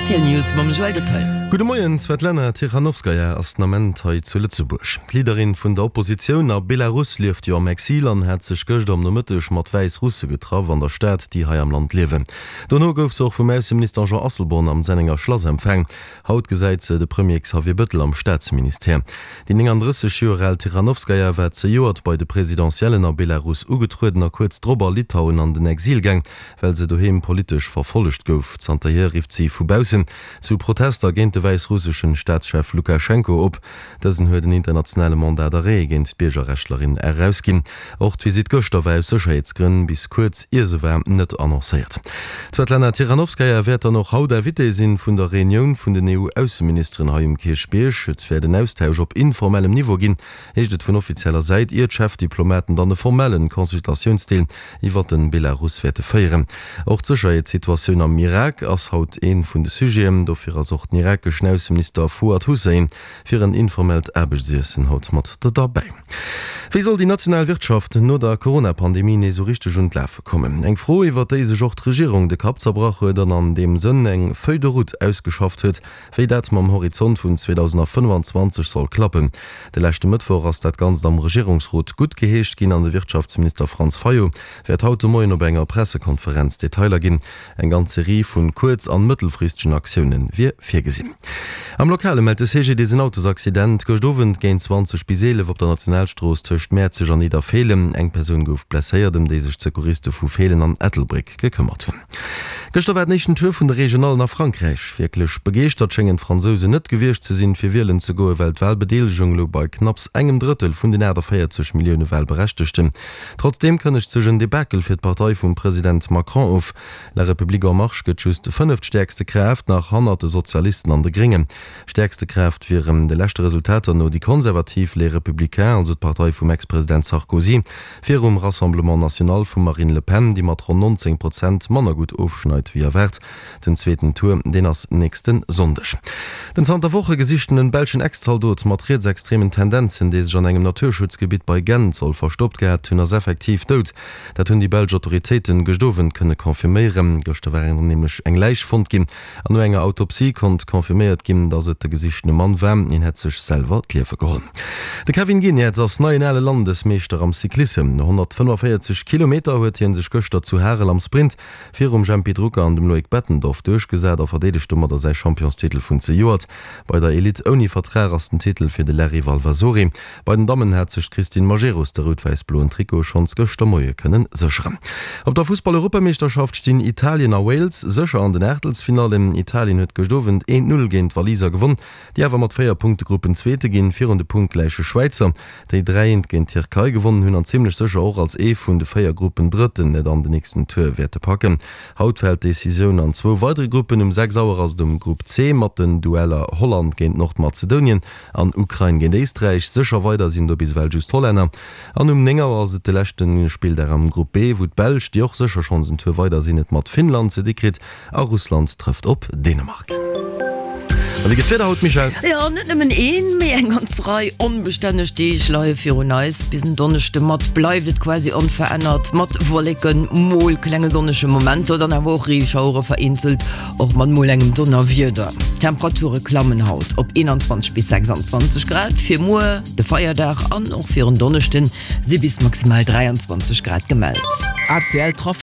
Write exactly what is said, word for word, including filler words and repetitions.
Rtl News mam Joël Detail. Gudde Moien, D'Svetlana Tichanowskaja ass den Ament hei zu Lëtzebuerg. D'Leaderin vun der Oppositioun a Belarus lieft jo am Exil an hat sech gëschter am Nomëtteg mat Wäissrusse getraff an der Stad, déi hei am Land liewen. Dono gouf se och vum Ausseminister Jean Asselborn am Sennenger Schlass empfaang. Haut gesäit se de Premier Xavier Bëttel am Staatsministère. Déi nénganddrësseg Joer al Tichanowskaja war zejoert bei de Presidentiellen a Belarus ugetrueden a kuerz drop a Litauen an den Exil gaang, well se doheem politesch verfollegt gouf. Zanterhier rifft si vu baussen zu Protester géint de wäissrusseschen Staatschef Lukaschenko op. Dësen huet en internationale Mandat d'arrêt géint d'Biergerrechtlerin erausginn. Och d'Visitt gëschter war aus Sécherheetsgrënn bis kuerz ier se war net annoncéiert. D'Svetlana Tichanowskaja wäert dann och haut Invitée sinn vun der Reunioun vun den E U-Ausseministeren hei um Kierchbierg. Et wäert en Austausch op informellem Niveau ginn, heescht et vun offizieller Säit, ier d'Chefdiplomaten dann e formellen Consultatiounsdeel iwwer de Belarus wäerte féieren. Och d'Sécherheetssituatioun am Irak ass haut ee vun de Sujeten. Dofir ass och den irakeschen Ausseminister Fuad Hussein fir en informellt Aarbechtsiessen haut mat derbäi. Wéi soll déi national Wirtschaft no der Corona-Pandemie nees esou richteg un d'Lafe kommen? Eng Fro, iwwer déi sech och d'Regierung de Kapp zerbrach huet an an deem Sënn eng Feuille de route ausgeschafft huet, wéi dat mam Horizont vun zweedausendafënnfanzwanzeg soll klappen. De leschte Mëttwoch ass dat Ganzt am Regierungsrot guttgeheescht ginn an de Wirtschaftsminister Franz Fayot wäert haut de Moien op enger Pressekonferenz Detailer ginn. Eng ganz Serie vun kuerz an mëttelfristegen Aktioune wier virgesinn. Am Lokale mellt de C G D S en Autosaccident gëscht Owend géint zwanzeg bis eelef op der Nationalstrooss tëscht Mäerzeg an Nidderfeelen. Eng Persoun gouf blesséiert, ëm déi sech d'Secouriste vu Feelen an Ettelbréck gekëmmert hunn. Gëschter war den éischten Tour vun de Regionallen a Frankräich. Wierklech begeeschtert schéngen d'Fransousen net gewiescht ze sinn, fir wielen ze goen, well d'Walbedeelegung louch bei knapps engem Drëttel vun den aachtavéierzeg Millioune Walberechtegten. Trotzdeem kënnegt sech en Debakel fir d'Partei vum President Macron of. La République en Marche gëtt just fënneftstäerkste Kraaft, nach hannert de Sozialisten an de Gréngen. Stäerkste Kraaft wieren de leschte Resultater no déi konservativ Les Républicains, also d'Partei vum Ex-President Sarkozy, virum Rassemblement National vum Marine Le Pen, déi mat ronn nonzéng Prozent manner gutt ofschneit wéi erwaart. Den zweeten Tour, deen ass nächste Sonndeg. Den zanter Woche gesichtenen belschen Ex-Zaldot mat rietsextremen Tendenzen, dee sech an engem Naturschutzgebitt bei Gent soll verstoppt gehat hunn, ass effektiv dout. Dat hunn déi belsch Autoritéiten gëscht Owend kënne confirméieren. Gëschter war nämlech eng Läich fonnt ginn an no enger Autopsie konnt confirméiert ginn, datt et de gesichtene Mann war. Hien hätt sech selwer d'Liewe geholl. De Kevin Geniets ass neien ale Landesmeeschter am Cyclissem. No honnertfënnefavéierzeg Kilometer huet hie sech gëschter zu Harel am Sprint virum Jempy Drucker an dem Loïc Bettendorf duerchgesat a verdeedegt domadder säi Championstitel vun zejoert. Bei der Elite ouni Vertrag ass den Titel fir de Larry Valvasori. Bei den Dammen hat sech d'Christine Majerus de rout-wäiss-bloen Trikot schonns gëschter Moie kënnen sécheren. Op der Fussball-Europameeschterschaft stinn Italien a Wales sécher an den Aachtelsfinallen. Italien huet gëscht Owend eent Null géint d'Waliser gewonn, déi awer mat véier Punkte Gruppenzweete ginn, virun de punktgläiche Schwäizer, déi dräi eent géint d'Tierkei gewonnen hunn an zimmlech sécher och als ee vun de véier Gruppendrëtten et an den nächsten Tour wäerte packen. Haut fält d'Decisioun an zwou weidere Gruppen. Um sechs Auer ass et um Grupp C mat den Dueller Holland géint Nordmazedonien an Ukrain géint Éisträich. Sécher weider sinn do bis ewell just d'Hollänner. An um néng Auer ass et de leschte Spilldag am Grupp B, wou d'Belsch, déi och sécher schonns en Tour weider sinn, et mat Finnland ze di kritt a Russland trëfft op Dänemark. A wéi gëtt d'Wieder haut, Michèle? Jo, net nëmmen een, mee eng ganz Rei onbestänneg Deeg leie virun eis. Bis en Donneschde mat bleift et quasi onverännert, mat Wolleken, mol klenge sonnege Momenter, dann awer och Reeschauere vereenzelt, och mat mol engem Donnerwieder. D'Temperature klammen haut op eenanzwanzeg bis sechsanzwanzeg Grad. Fir muer, de Feierdag, an och fir en Donneschden si bis maximal dräianzwanzeg Grad gemellt. A C L Trafic.